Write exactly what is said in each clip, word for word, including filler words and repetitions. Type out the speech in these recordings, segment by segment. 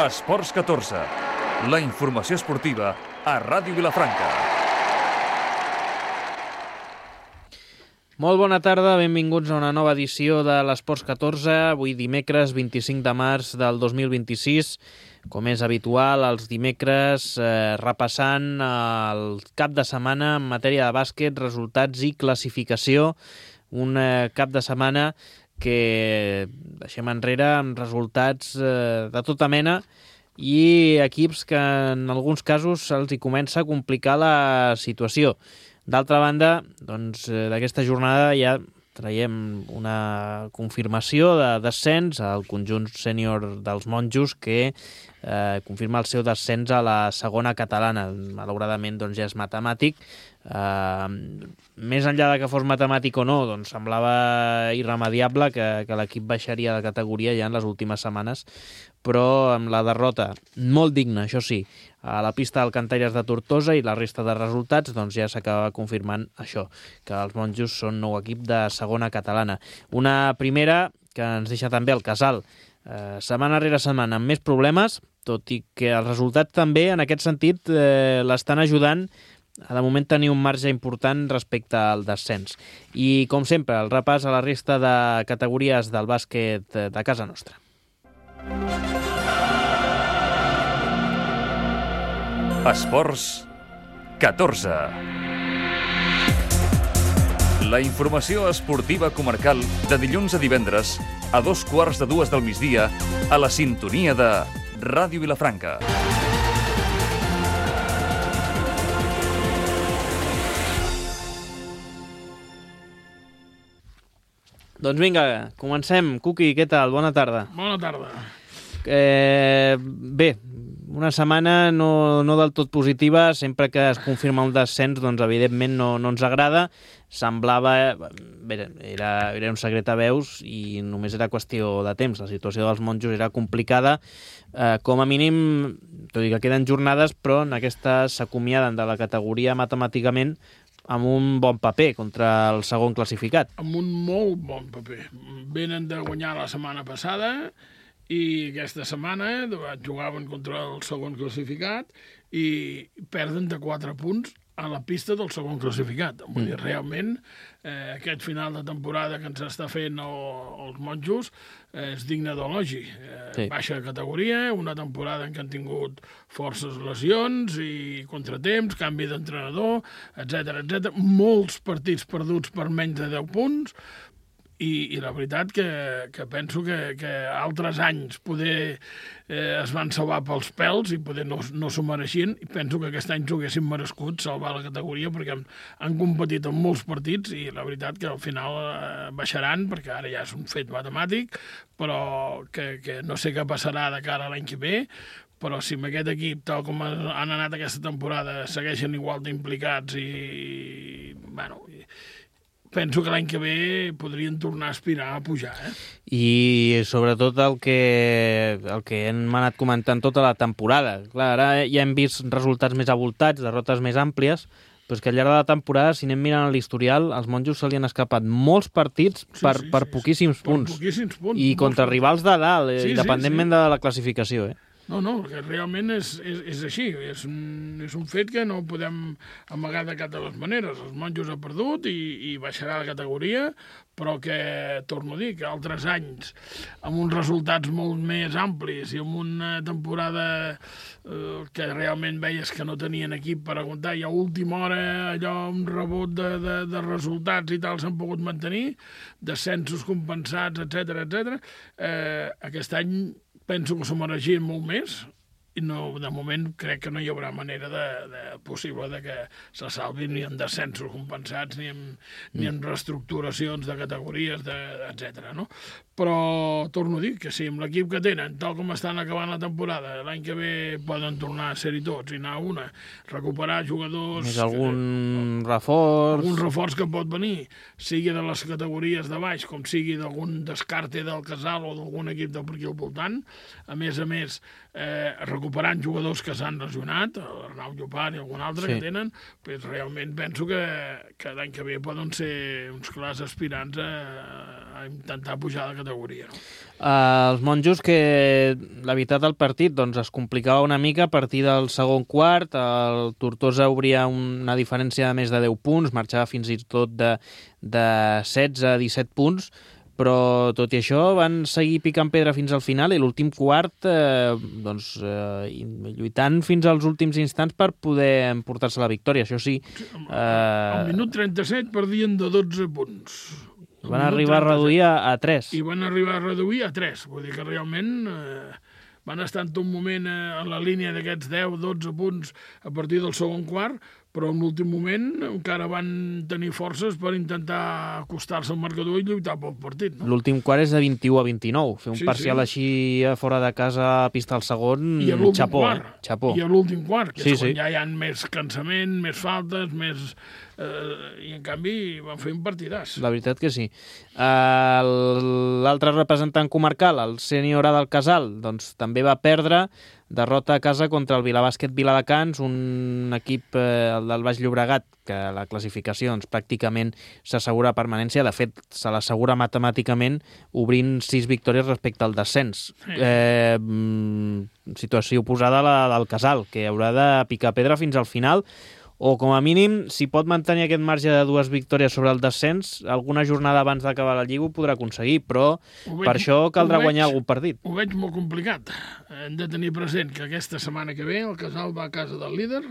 Esports catorze, la informació esportiva a Ràdio Vilafranca. Molt bona tarda, benvinguts a una nova edició de l'Esports catorze, avui dimecres vint-i-cinc de març del dos mil vint-i-sis. Com és habitual, els dimecres eh, repassant el cap de setmana en matèria de bàsquet, resultats i classificació. Un eh, cap de setmana que deixem enrere amb resultats eh, de tota mena i equips que en alguns casos se'ls hi comença a complicar la situació. D'altra banda, doncs, d'aquesta jornada ja traiem una confirmació de descens al conjunt sènior dels Monjos que eh, confirma el seu descens a la segona catalana. Malauradament doncs, ja és matemàtic. Eh, més enllà de que fos matemàtic o no, doncs semblava irremediable que, que l'equip baixaria de categoria ja en les últimes setmanes, però amb la derrota molt digna, això sí, a la pista del Cantaires de Tortosa i la resta de resultats, doncs ja s'acaba confirmant això, que els Monjos són nou equip de segona catalana. Una primera que ens deixa també el Casal, eh, setmana rere setmana amb més problemes, tot i que els resultats també en aquest sentit eh, l'estan ajudant a de moment tenir un marge important respecte al descens. I com sempre, el repàs a la resta de categories del bàsquet de casa nostra. Esports catorze. La informació esportiva comarcal de dilluns a divendres a dos quarts de dues del migdia a la sintonia de Ràdio Vilafranca. Doncs vinga, comencem. Cuqui, què tal? Bona tarda. Bona tarda. Eh, bé, una setmana no, no del tot positiva. Sempre que es confirma un descens, doncs evidentment no, no ens agrada. Semblava... Bé, era, era un secret a veus i només era qüestió de temps. La situació dels Monjos era complicada. Eh, com a mínim, tot i que queden jornades, però en aquesta s'acomiaden de la categoria matemàticament amb un bon paper contra el segon classificat. Amb un molt bon paper. Venen de guanyar la setmana passada i aquesta setmana jugaven contra el segon classificat i perden de quatre punts a la pista del segon classificat. Vull dir, realment, eh, aquest final de temporada que ens està fent el, els Monjos eh, és digne d'elogi. Eh, sí. Baixa categoria, una temporada en què han tingut forces lesions i contratemps, canvi d'entrenador, etcètera, etcètera. Molts partits perduts per menys de deu punts, I, i la veritat que, que penso que, que altres anys poder eh, es van salvar pels pèls i poder no, no s'ho mereixien, i penso que aquest any s'ho haguessin merescut salvar la categoria perquè han, han competit en molts partits i la veritat que al final eh, baixaran perquè ara ja és un fet matemàtic, però que, que no sé què passarà de cara a l'any que ve, però si amb aquest equip, tal com han anat aquesta temporada, segueixen igual d'implicats i, i bueno... I, penso que l'any que ve podrien tornar a aspirar a pujar. Eh? I sobretot el que, el que hem anat comentant tota la temporada. Clar, ara ja hem vist resultats més avoltats, derrotes més àmplies, però és que al llarg de la temporada, si anem mirant l'historial, als Monjos se li han escapat molts partits sí, per, sí, per, sí, poquíssims per punts. poquíssims punts. I contra rivals de dalt, sí, independentment sí, sí. de la classificació. Eh? No, no, perquè realment és, és, és així, és un, és un fet que no podem amagar de cap de les maneres. Els Monjos ha perdut i, i baixarà la categoria, però que, torno a dir, que altres anys, amb uns resultats molt més amplis i amb una temporada eh, que realment veies que no tenien equip per aguantar, i a última hora allò, un rebot de, de, de resultats i tal s'han pogut mantenir, descensos compensats, etcètera, etcètera. Eh, aquest any penso que s'ho mereixien molt més i no, de moment crec que no hi haurà manera de, de possible de que se salvin ni en descensos compensats ni en, mm. ni en reestructuracions de categories, de, etcètera. No? Però torno a dir que si amb l'equip que tenen, tal com estan acabant la temporada, l'any que ve poden tornar a ser-hi tots i anar a una, recuperar jugadors... Més algun que, reforç... Algun reforç que pot venir, sigui de les categories de baix, com sigui d'algun descarte del Casal o d'algun equip de per aquí al voltant. A més a més, eh, recuperar recuperant jugadors que s'han lesionat, l'Arnau Llopart i algun altre sí. que tenen, pues realment penso que, que l'any que ve poden ser uns clars aspirants a, a intentar pujar de categoria. No? Uh, els monjos que la veritat del partit doncs, es complicava una mica a partir del segon quart, el Tortosa obria una diferència de més de deu punts, marxava fins i tot de, de setze a disset punts, però tot i això van seguir picant pedra fins al final i l'últim quart eh, doncs, eh, lluitant fins als últims instants per poder emportar-se la victòria, això sí. Eh... Al minut trenta-set perdien de dotze punts. Van arribar a reduir a, a tres. I van arribar a reduir a tres. Vull dir que realment eh, van estar en tot moment eh, en la línia d'aquests deu dotze punts a partir del segon quart, però en l'últim moment encara van tenir forces per intentar acostar-se al marcador i lluitar pel partit. No? L'últim quart és de vint-i-u a vint-i-nou. Fer un sí, parcial sí. així a fora de casa a pista al segon, I a l'últim xapó, quart. Eh? Xapó. I a l'últim quart, que sí, és quan sí. ja hi ha més cansament, més faltes, més... Eh, i en canvi van fer un partidàs. La veritat que sí. Uh, L'altre representant comarcal, el Sènior A del Casal, doncs també va perdre, derrota a casa contra el Vilabàsquet Viladecans, un equip eh, el del Baix Llobregat, que la classificació doncs, pràcticament s'assegura permanència, de fet se l'assegura matemàticament obrint sis victòries respecte al descens. Sí. Eh, situació oposada a la del Casal, que haurà de picar pedra fins al final, o com a mínim, si pot mantenir aquest marge de dues victòries sobre el descens, alguna jornada abans d'acabar la Lliga ho podrà aconseguir, però veig, per això caldrà veig, guanyar algun partit. Ho veig molt complicat. Hem de tenir present que aquesta setmana que ve el Casal va a casa del líder,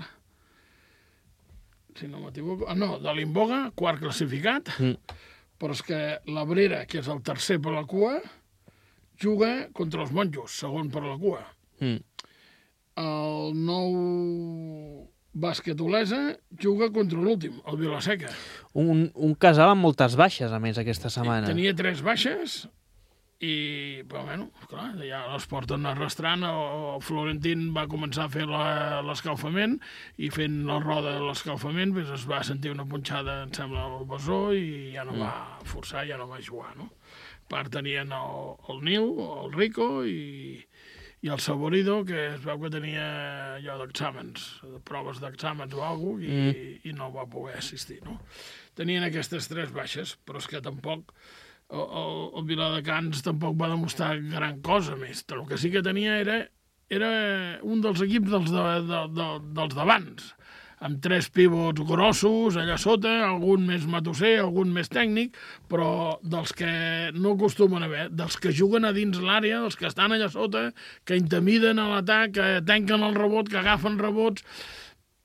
si no m'equivoco, ah, no, de l'Imboga, quart classificat, mm. però és que l'Abrera, que és el tercer per la cua, juga contra els monjos, segon per la cua. Mm. El nou... Bàsquet Olesa juga contra l'últim, el Vilaseca. Un, un Casal amb moltes baixes, a més, aquesta setmana. Tenia tres baixes i, però, bueno, clar, ja les porten arrastrant. El Florentín va començar a fer l'escalfament i fent la roda de l'escalfament pues, es va sentir una punxada, em sembla, al bessó i ja no mm. va forçar, ja no va jugar, no? A part tenien el, el Nil, el Rico i... i el Saborido, que es veu que tenia allò d'exàmens, de proves d'exàmens o alguna cosa, i, mm. i no va poder assistir, no? Tenien aquestes tres baixes, però és que tampoc el, el, el Viladecans tampoc va demostrar gran cosa més. El que sí que tenia era, era un dels equips dels, de, de, de, dels d'abans, amb tres pivots grossos allà sota, algun més matusser, algun més tècnic, però dels que no acostumen a haver, dels que juguen a dins l'àrea, dels que estan allà sota, que intimiden a l'atac, que tanquen el rebot, que agafen rebots...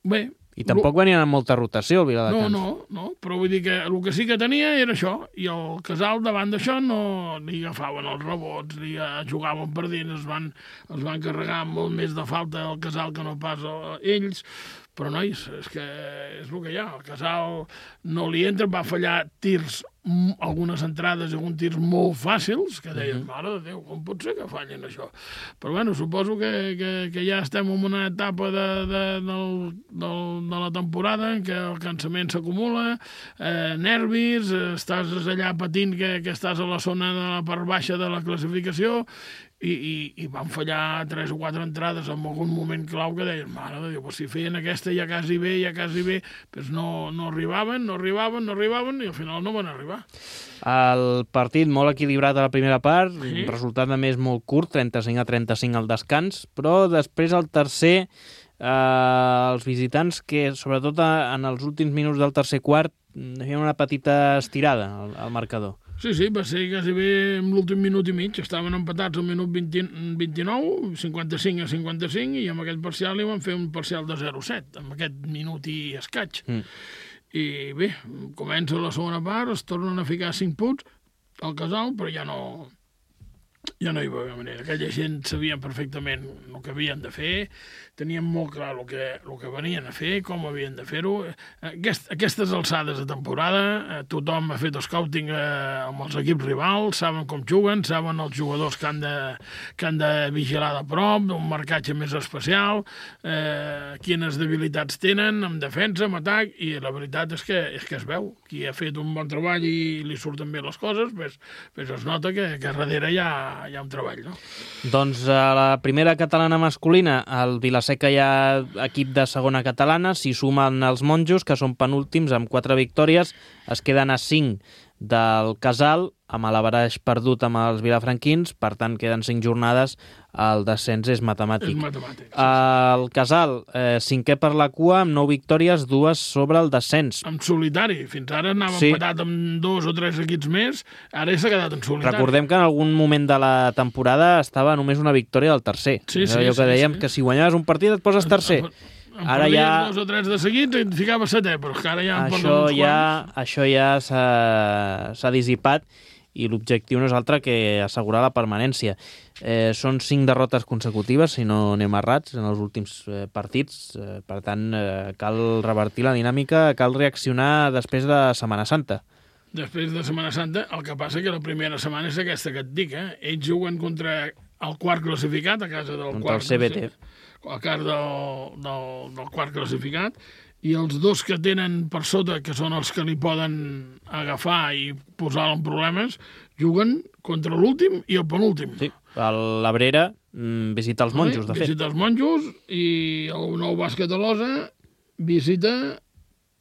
Bé... I tampoc venien amb molta rotació, el Viladecans. No, no, no, però vull dir que el que sí que tenia era això, i el Casal davant d'això no li agafaven els rebots, li jugaven per dins, es van, es van carregar molt més de falta el Casal que no pas ells, però, nois, és que és el que hi ha. El Casal no li entra, va fallar tirs, algunes entrades i alguns tirs molt fàcils, que deien, uh-huh. mare de Déu, com pot ser que fallin això? Però, bueno, suposo que, que, que ja estem en una etapa de, de, del, del, de la temporada en què el cansament s'acumula, eh, nervis, estàs allà patint que, que estàs a la zona de la part baixa de la classificació, I, i, i van fallar tres o quatre entrades en algun moment clau que deien, mare de Déu, pues si feien aquesta ja quasi bé, ja quasi bé, pues no, no arribaven, no arribaven, no arribaven, i al final no van arribar. El partit molt equilibrat a la primera part, sí. Resultat a més molt curt, trenta-cinc a trenta-cinc al descans, però després al tercer, eh, els visitants que, sobretot en els últims minuts del tercer quart, feien una petita estirada al, al marcador. Sí, sí, va ser quasi bé en l'últim minut i mig. Estaven empatats al minut vint, vint-i-nou, cinquanta-cinc a cinquanta-cinc, i amb aquest parcial li van fer un parcial de zero a set, amb aquest minut i escaig. Mm. I bé, comença la segona part, es tornen a ficar cinc punts al Casal, però ja no... Ja no hi va haver manera. Aquella gent sabien perfectament el que havien de fer, tenien molt clar el que, el que venien a fer, com havien de fer-ho. Aquest, aquestes alçades de temporada, tothom ha fet scouting eh, amb els equips rivals, saben com juguen, saben els jugadors que han de, que han de vigilar de prop, un marcatge més especial, eh, quines debilitats tenen en defensa, en atac, i la veritat és que, és que es veu. Qui ha fet un bon treball i li surten bé les coses, pues, pues es nota que, que darrere hi ha hi ha un treball, no? Doncs a la primera catalana masculina, el Vilaseca hi ha equip de segona catalana, s'hi sumen els monjos, que són penúltims amb quatre victòries, es queden a cinc del Casal, amb l'averaix perdut amb els vilafranquins, per tant queden cinc jornades, el descens és matemàtic. És matemàtic. Sí, el Casal, eh, cinquè per la cua, amb nou victòries, dues sobre el descens. En solitari. Fins ara anava Sí. empatat amb dos o tres equips més, ara s'ha quedat en solitari. Recordem que en algun moment de la temporada estava només una victòria del tercer. Sí, sí, allò que sí, dèiem, sí. que si guanyaves un partit et poses tercer. En Ara perdies ja... dos o tres de seguits i et ficava setè, però és que ara ja en porten Això uns ja, quants. això ja s'ha s'ha dissipat i l'objectiu no és altre que assegurar la permanència. Eh, són cinc derrotes consecutives, si no anem errats, en els últims eh, partits. Eh, per tant, eh, cal revertir la dinàmica, cal reaccionar després de Setmana Santa. Després de Setmana Santa, el que passa que la primera setmana és aquesta que et dic, eh? Ells juguen contra el quart classificat, a casa del Contra quart... el C B T. A casa del, del, del quart classificat, i els dos que tenen per sota, que són els que li poden agafar i posar-lo en problemes, juguen contra l'últim i el penúltim. Sí, l'Abrera mm, visita els monjos, de fet. Visita els monjos i el nou bàsquet de l'Osa visita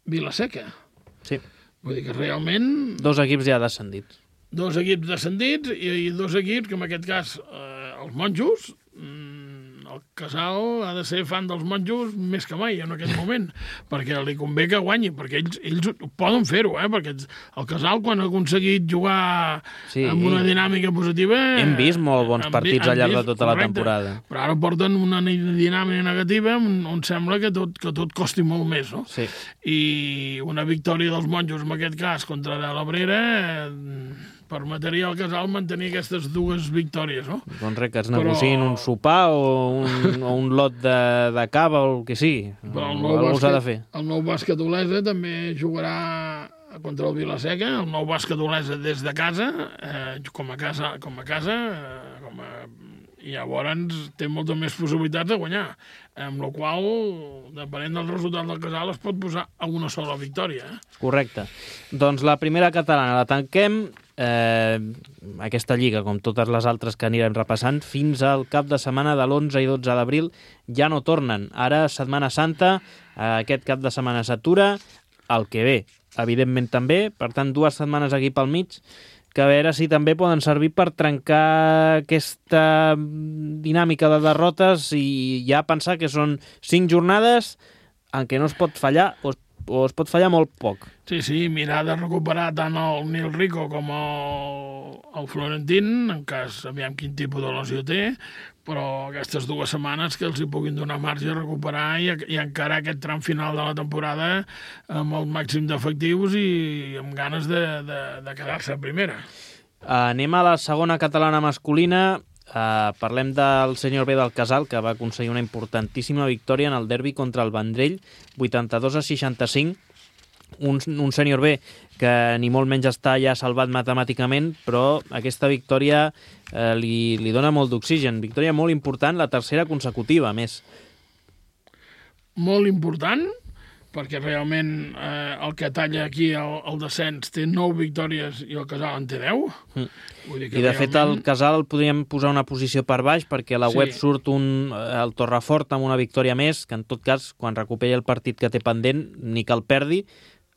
Vilaseca. Sí. Vull dir que realment... Dos equips ja descendits. Dos equips descendits i, i dos equips que en aquest cas eh, els monjos, mm, el Casal ha de ser fan dels monjos més que mai en aquest moment, perquè li convé que guanyi, perquè ells, ells poden fer-ho, eh? Perquè el Casal, quan ha aconseguit jugar Sí. amb una dinàmica positiva... Hem vist molt bons hem partits vi- al llarg hem de tota la correcte, temporada. Però ara porten una dinàmica negativa on, on sembla que tot, que tot costi molt més, no? Sí. I una victòria dels monjos, en aquest cas, contra de l'Abrera, eh, permetria al Casal mantenir aquestes dues victòries, no? Doncs res, que es Però- negociïn un sopar o un, o un lot de, de cava o el que sigui. Però el Algú nou, s'ha de bàsquet, fer. el nou bàsquet Olesa també jugarà contra el Vilaseca, el nou bàsquet Olesa des de casa, eh, com a casa, com a casa, eh, com a... i llavors té moltes més possibilitats de guanyar, amb la qual, depenent del resultat del Casal, es pot posar a una sola victòria. Eh? Correcte. Doncs la primera catalana la tanquem. Eh, aquesta lliga, com totes les altres que anirem repassant, fins al cap de setmana de l'onze i dotze d'abril ja no tornen. Ara, Setmana Santa, eh, aquest cap de setmana s'atura, el que ve, evidentment també, per tant, dues setmanes aquí pel mig, que a veure si també poden servir per trencar aquesta dinàmica de derrotes i ja pensar que són cinc jornades en què no es pot fallar o es, o es pot fallar molt poc. Sí, sí, mirar de recuperar tant el Nil Rico com el, el Florentín, en cas, aviam quin tipus de lesió té, però aquestes dues setmanes que els hi puguin donar marge a recuperar i, i encarar aquest tram final de la temporada amb el màxim d'efectius i amb ganes de, de, de quedar-se a primera. Anem a la segona catalana masculina. Uh, parlem del senyor B del Casal, que va aconseguir una importantíssima victòria en el derbi contra el Vendrell, vuitanta-dos a seixanta-cinc. Un, un senyor B que ni molt menys està ja salvat matemàticament, però aquesta victòria eh, li, li dona molt d'oxigen. Victòria molt important, la tercera consecutiva, a més. Molt important, perquè realment eh, el que talla aquí el, el descens té nou victòries i el Casal en té deu. Mm. Vull dir que I de fet el Casal el podríem posar una posició per baix perquè a la Sí. web surt un, el Torrefort amb una victòria més, que en tot cas, quan recuperi el partit que té pendent, ni que el perdi,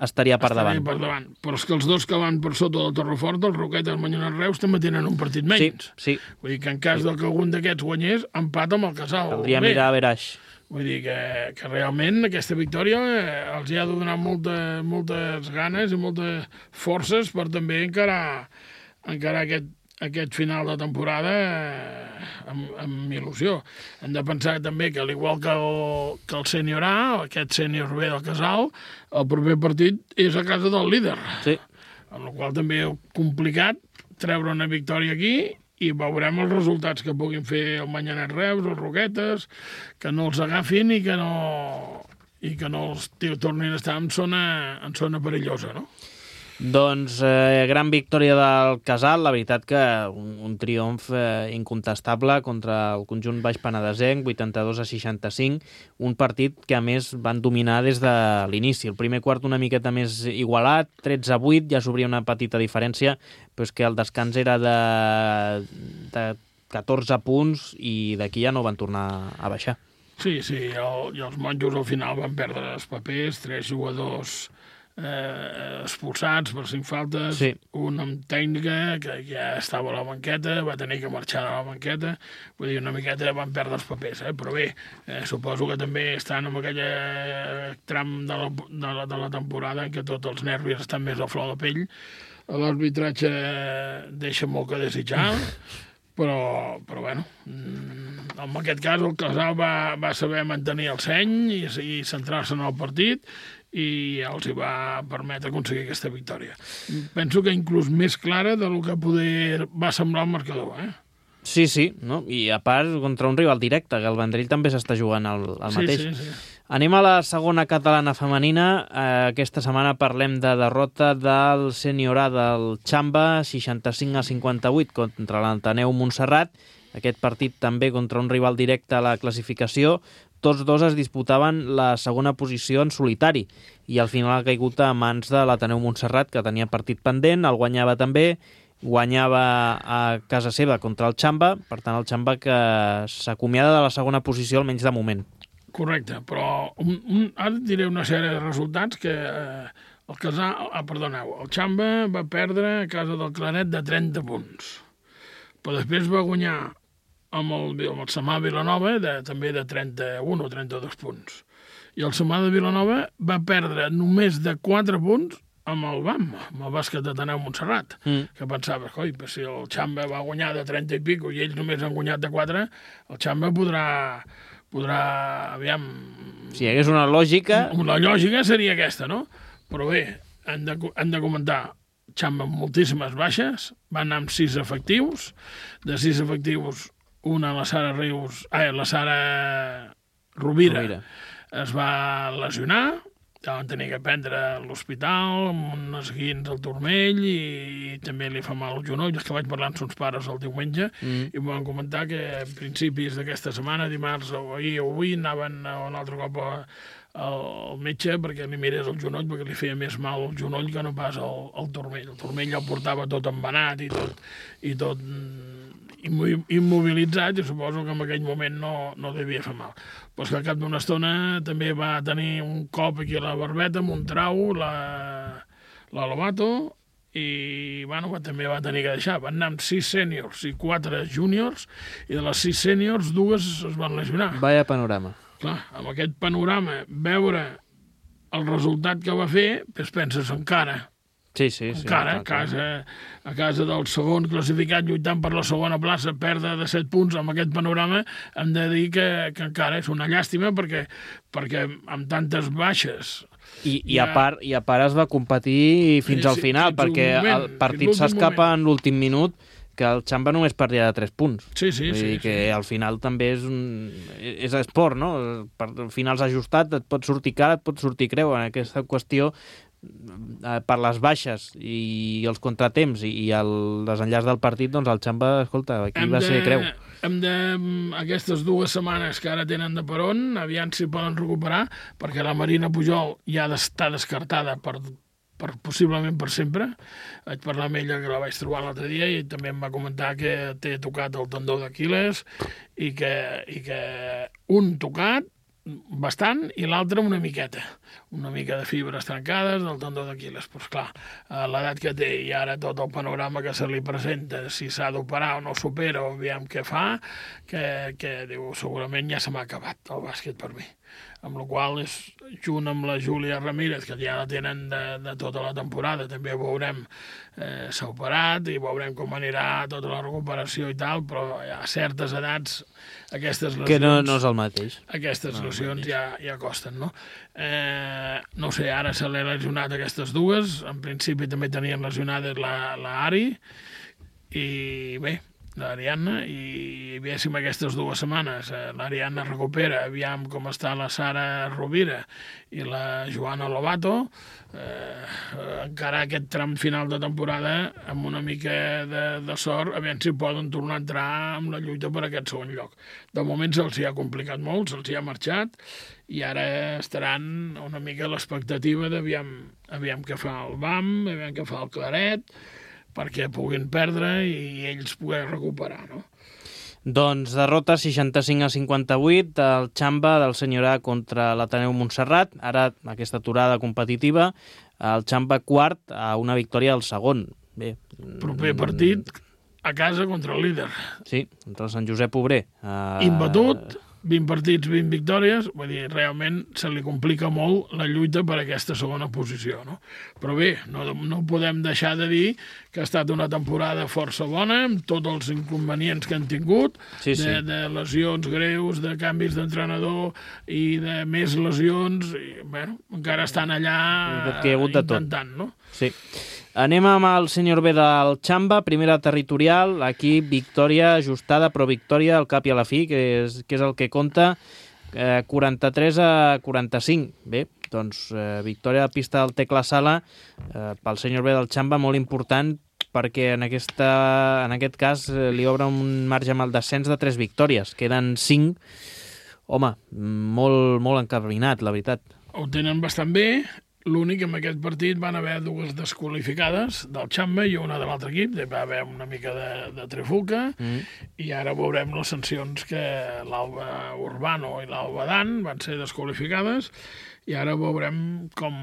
estaria per estaria davant. per davant. Però és que els dos que van per sota del Torrefort, el Roqueta i el Manyonet Reus, també tenen un partit Sí, menys. sí. Vull dir que en cas de que algun d'aquests guanyés, empat amb el Casal. Caldria B. mirar a Veraix. Vull dir que, que realment aquesta victòria eh, els hi ha de donar molta, moltes ganes i moltes forces per també encarar, encarar aquest, aquest final de temporada eh, amb, amb il·lusió. Hem de pensar també que, al igual que el, que el sènior A, aquest sènior B del Casal, el proper partit és a casa del líder. Sí. Amb la qual també és complicat treure una victòria aquí i veurem els resultats que puguin fer el Manyanet Reus, els Roquetes, que no els agafin i que no, i que no els tio, tornin a estar en zona, en zona perillosa, no? Doncs eh, gran victòria del Casal, la veritat que un, un triomf eh, incontestable contra el conjunt baix penedesenc, vuitanta-dos a seixanta-cinc, un partit que a més van dominar des de l'inici. El primer quart una miqueta més igualat, tretze a vuit, ja s'obria una petita diferència, però és que el descans era de, de catorze punts i d'aquí ja no van tornar a baixar. Sí, sí, el, i els monjos al final van perdre els papers, tres jugadors eh, expulsats per cinc faltes, sí. Un amb tècnica que ja estava a la banqueta, va tenir que marxar de la banqueta, vull dir, una miqueta van perdre els papers, eh? Però bé, eh, suposo que també estan en aquell tram de la, de, la, de la temporada en què tots els nervis estan més a flor de pell, l'arbitratge deixa molt que desitjar, però, però bueno, en aquest cas el Casal va, va saber mantenir el seny i, i centrar-se en el partit i els hi va permetre aconseguir aquesta victòria. Penso que inclús més clara del que poder va semblar el marcador, eh? Sí, sí, no? I a part contra un rival directe, que el Vendrell també s'està jugant el, el mateix. Sí, sí, sí. Anem a la segona catalana femenina. Eh, aquesta setmana parlem de derrota del Sènior A del Xamba, seixanta-cinc a cinquanta-vuit contra l'Ateneu Montserrat. Aquest partit també contra un rival directe a la classificació. Tots dos es disputaven la segona posició en solitari i al final ha caigut a mans de l'Ateneu Montserrat, que tenia partit pendent, el guanyava també, guanyava a casa seva contra el Xamba, per tant el Xamba que s'acomiada de la segona posició almenys de moment. Correcte, però un, un, ara et diré una sèrie de resultats que eh, el Casal, ah, perdoneu, el Xamba va perdre a casa del Claret de trenta punts, però després va guanyar amb el, amb el Samà Vilanova de, també de trenta-un o trenta-dos punts. I el Samà de Vilanova va perdre només de quatre punts amb el B A M, amb el bàsquet d'Ateneu Montserrat, mm. que pensava, coi, si el Xamba va guanyar de trenta i pico i ells només han guanyat de quatre, el Xamba podrà, podrà, aviam... Si hi hagués una lògica... La lògica seria aquesta, no? Però bé, han de, han de comentar Xamba amb moltíssimes baixes, van anar amb sis efectius, de sis efectius una, la Sara Rius, ah, la Sara Rovira, Rovira, es va lesionar, ja van tenir que prendre a l'hospital amb unes guins al turmell i, i també li fa mal al genoll. És que vaig parlar amb sons pares el diumenge mm. i em van comentar que a principis d'aquesta setmana, dimarts o ahir o avui, anaven un altre cop a, al metge perquè li mirés el genoll, perquè li feia més mal el genoll que no pas el, el turmell. El turmell ja el portava tot embenat i tot, i tot immobilitzat, i suposo que en aquell moment no, no devia fer mal. Però que al cap d'una estona també va tenir un cop aquí a la barbeta, amb un trau, la, la Lobato, i bueno, també va tenir que deixar. Van anar amb sis sèniors i quatre júniors, i de les sis sèniors, dues es van lesionar. Vaya panorama. Clar, amb aquest panorama, veure el resultat que va fer, doncs penses encara... Sí, sí, sí. Encara, a casa, a casa del segon classificat lluitant per la segona plaça, perdre de set punts amb aquest panorama, hem de dir que, que encara és una llàstima perquè, perquè amb tantes baixes... I, i, ja... a part, I a part es va competir fins sí, al final, sí, perquè moment, el partit s'escapa en l'últim minut, que el Xamba només perdia de tres punts. Sí, sí, Vull sí. dir que sí. al final també és un... és esport, no? Per finals ajustat, et pot sortir cara, et pot sortir creu. En aquesta qüestió, per les baixes i els contratemps i el desenllaç del partit, doncs el Xamba, escolta, aquí hem va de, ser creu. Hem de, aquestes dues setmanes que ara tenen de peron, aviam si poden recuperar, perquè la Marina Pujol ja està descartada per, per, possiblement per sempre. Vaig parlar amb ella, que la vaig trobar l'altre dia, i també em va comentar que té tocat el tendó d'Aquil·les i que, i que un tocat bastant, i l'altre una miqueta. Una mica de fibres trencades del tendó d'Aquil·les. Però, esclar, a l'edat que té i ara tot el panorama que se li presenta, si s'ha d'operar o no s'opera, o aviam què fa, que, que diu, segurament ja se m'ha acabat el bàsquet per mi. Amb la qual és, junt amb la Júlia Ramírez, que ja la tenen de, de tota la temporada, també veurem, eh, s'ha operat i veurem com anirà tota la recuperació i tal, però a certes edats aquestes lesions... Que no, no és el mateix. Aquestes no lesions ja, ja costen, no? Eh, no sé, ara se l'ha lesionat aquestes dues, en principi també tenien lesionades la, la Ari, i bé, l'Ariadna, i veiéssim aquestes dues setmanes. L'Ariadna recupera, aviam com està la Sara Rovira i la Joana Lobato, eh, encara aquest tram final de temporada amb una mica de, de sort, aviam si poden tornar a entrar amb la lluita per aquest segon lloc. De moment se'ls hi ha complicat molt, se'ls hi ha marxat, i ara estaran una mica a l'expectativa d'aviam aviam què fa el B A M, aviam què fa el Claret, perquè puguin perdre i ells poder recuperar, no? Doncs derrota seixanta-cinc a cinquanta-vuit del Xamba del Senyorà contra l'Ateneu Montserrat. Ara, aquesta aturada competitiva, el Xamba quart a una victòria del segon. Bé, proper partit a casa contra el líder. Sí, contra el Sant Josep Obrer. Uh... Imbatut, vint partits, vint victòries, vull dir, realment se li complica molt la lluita per aquesta segona posició, no? Però bé, no, no podem deixar de dir que ha estat una temporada força bona, amb tots els inconvenients que han tingut, sí, sí. De, de lesions greus, de canvis d'entrenador i de més lesions, i, bueno, encara estan allà intentant, no? Sí. Anem amb el senyor B del Xamba, primera territorial, aquí victòria ajustada, però victòria al cap i a la fi, que és, que és el que compta, eh, quaranta-tres a quaranta-cinc. Bé, doncs eh, victòria de pista del Tecla Sala eh, pel senyor B del Xamba, molt important, perquè en, aquesta, en aquest cas eh, li obre un marge amb el descens de tres victòries, queden cinc. Home, molt, molt encarrinat, la veritat. Ho tenen bastant bé. L'únic que en aquest partit van haver dues desqualificades del Xamba i una de l'altre equip, va haver una mica de, de trifulca, mm. i ara veurem les sancions que l'Alba Urbano i l'Alba Dan van ser desqualificades, i ara veurem com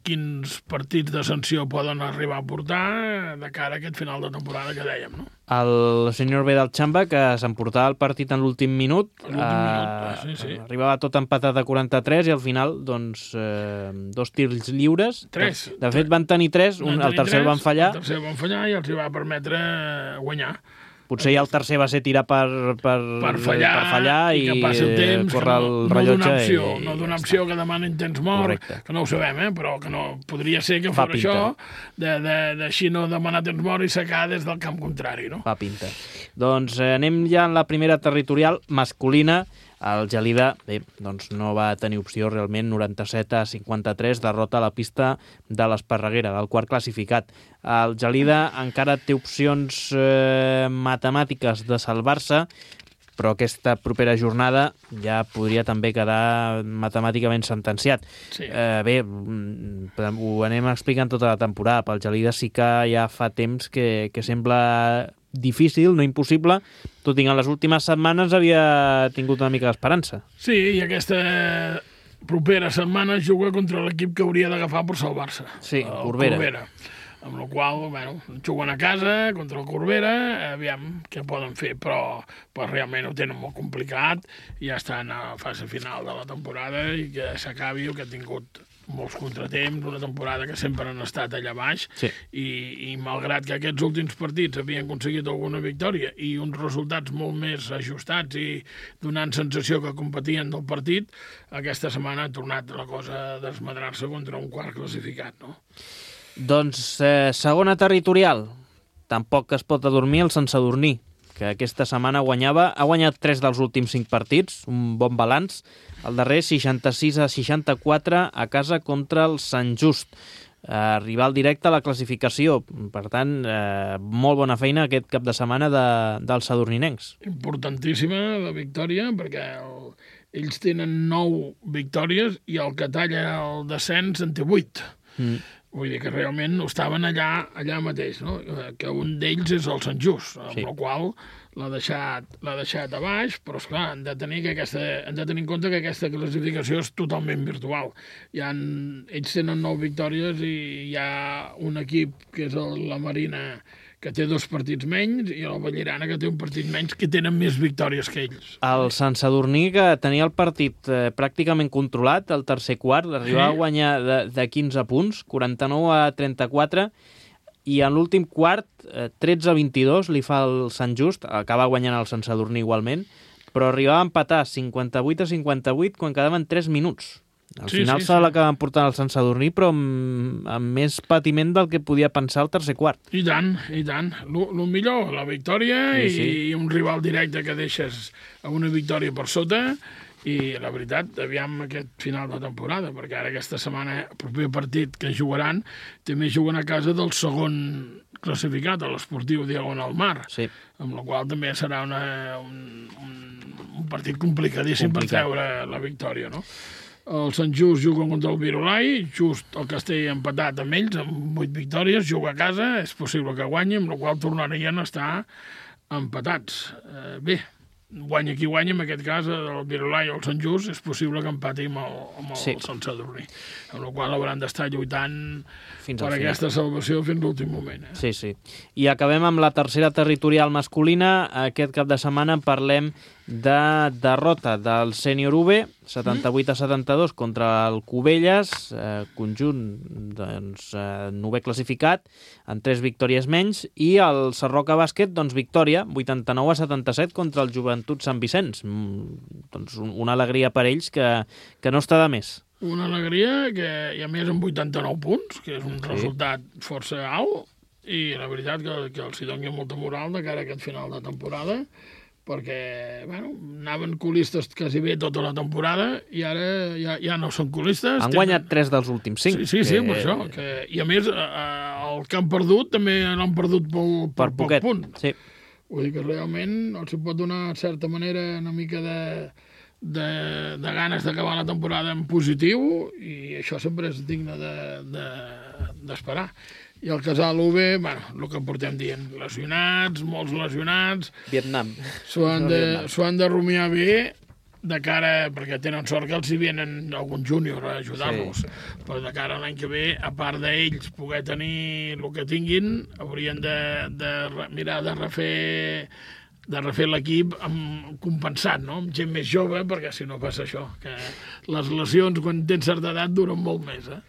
quins partits de sanció poden arribar a portar de cara a aquest final de temporada que dèiem, no? El senyor B del Xamba, que s'emportava el partit en l'últim minut, l'últim eh, minut sí, sí. arribava tot empatat a quaranta-tres i al final, doncs, eh, dos tirs lliures. Tres. De, de fet, van tenir tres, un, el tercer el van fallar. El tercer el van fallar i els va permetre guanyar. Potser ja el tercer va ser tirar per, per, per fallar, per fallar i, i que passi el temps, córrer el no, rellotge. No opció, i, no d'una opció que demanen temps mort, correcte. Que no ho sabem, eh? Però que no podria ser que fos això, d'així no demanar temps mort i secar des del camp contrari, no? Fa pinta. Doncs eh, anem ja en la primera territorial masculina. El Gelida, bé, doncs no va tenir opció realment, noranta-set a cinquanta-tres, derrota a la pista de l'Esparreguera, del quart classificat. El Gelida encara té opcions eh, matemàtiques de salvar-se, però aquesta propera jornada ja podria també quedar matemàticament sentenciat. Sí. Eh, bé, ho anem explicant tota la temporada. Pel Gelida sí que ja fa temps que, que sembla difícil, no impossible, tot i que en les últimes setmanes havia tingut una mica d'esperança. Sí, i aquesta propera setmana juga contra l'equip que hauria d'agafar per salvar-se. Sí, el Corbera. Corbera. Amb la qual, bueno, juguen a casa contra el Corbera, aviam què poden fer, però, però realment ho tenen molt complicat, i ja estan a fase final de la temporada i que s'acabi el que ha tingut molts contratemps, una temporada que sempre han estat allà baix, sí. i, i malgrat que aquests últims partits havien aconseguit alguna victòria i uns resultats molt més ajustats i donant sensació que competien del partit, aquesta setmana ha tornat la cosa a desmadrar-se contra un quart classificat, no? Doncs eh, segona territorial, tampoc es pot adormir el Sant Sadurní, que aquesta setmana guanyava, ha guanyat tres dels últims cinc partits, un bon balanç, el darrer seixanta-sis a seixanta-quatre a casa contra el Sant Just, eh, rival directe a la classificació, per tant, eh, molt bona feina aquest cap de setmana de, dels sadurninencs. Importantíssima la victòria, perquè el, ells tenen nou victòries i el que talla el descens en té vuit. Mm. Vull dir que realment estaven allà, allà mateix, no? Que un d'ells és el Sant Just, amb sí. el qual l'ha deixat, l'ha deixat a baix, però esclar, han de tenir que aquesta, han de tenir en compte que aquesta classificació és totalment virtual. Hi ha, ells tenen nou victòries i hi ha un equip que és el, la Marina, que té dos partits menys, i el Vallirana, que té un partit menys, que tenen més victòries que ells. El Sant Sadurní, que tenia el partit eh, pràcticament controlat, el tercer quart, arribava sí. a guanyar de, de quinze punts, quaranta-nou a trenta-quatre, i en l'últim quart, eh, tretze a vint-i-dos, li fa el Sant Just, acaba guanyant el Sant Sadurní igualment, però arribava a empatar cinquanta-vuit a cinquanta-vuit quan quedaven tres minuts. Al Sí, final sí, se sí. l'acaben portant al Sant Sadurní, però amb, amb més patiment del que podia pensar el tercer quart. I tant, i tant. El millor, la victòria Sí, i sí. un rival directe que deixes a una victòria per sota i la veritat, aviam aquest final de temporada, perquè ara aquesta setmana, el proper partit que jugaran, també juguen a casa del segon classificat, a l'Esportiu Diagonal Mar, Sí. amb la qual també serà una, un, un, un partit complicadíssim Complicat. per treure la victòria, no? El Sant Just juga contra el Virolai, just el Castell empatat amb ells, amb vuit victòries, juga a casa, és possible que guanyi, amb la qual tornarien a estar empatats. Eh, bé, guanya qui guanya, en aquest cas, el Virolai o el Sant Just, és possible que empati amb el, amb el Sí. Sant Sadurní, amb la qual hauran d'estar lluitant Fins per al final. aquesta salvació fins l'últim moment. Eh? Sí, sí. I acabem amb la tercera territorial masculina. Aquest cap de setmana parlem de derrota del sènior U B, setanta-vuit a setanta-dos contra el Cubelles, eh, conjunt doncs, eh, novè classificat, amb tres victòries menys, i el Sarroca Bàsquet, doncs, victòria, vuitanta-nou a setanta-set contra el Joventut Sant Vicenç. Mm, doncs un, una alegria per ells que, que no està de més. Una alegria que, i a més amb vuitanta-nou punts, que és un Sí. resultat força alt, i la veritat que, que els hi doni molta moral de cara a aquest final de temporada, perquè bueno, anaven colistes quasi bé tota la temporada i ara ja, ja no són colistes. Han guanyat tres dels últims cinc. Sí, sí, sí, que... per això. Que, I a més, eh, el que han perdut també l'han perdut per, per, Per poc poquet. punt. Sí. Vull dir que realment els hi pot donar, en certa manera, una mica de, de, de ganes d'acabar la temporada en positiu, i això sempre és digne d'esperar. De, de, I el Casal U B, bueno, el que portem dient, lesionats, molts lesionats, Vietnam. s'ho han, No, de, Vietnam. s'ho han de rumiar bé de cara, perquè tenen sort que els hi venen algun júnior a ajudar-los, sí. Però de cara a l'any que ve, a part d'ells poder tenir el que tinguin, haurien de, de re- mirar de refer de refer l'equip amb, compensat, no? Amb gent més jove, perquè si no passa això, que les lesions quan tens certa edat duren molt més, eh?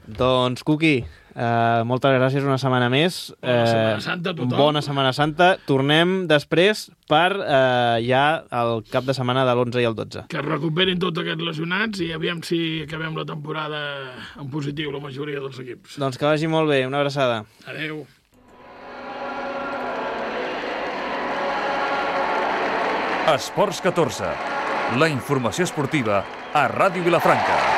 Doncs, Cuqui, eh, moltes gràcies una setmana més. Bona Setmana Santa a tothom. Bona Setmana Santa. Tornem després per eh, ja el cap de setmana de l'onze i el dotze. Que es recuperin tots aquests lesionats i aviam si acabem la temporada en positiu la majoria dels equips. Doncs que vagi molt bé. Una abraçada. Adeu. Esports catorze. La informació esportiva a Ràdio Vilafranca.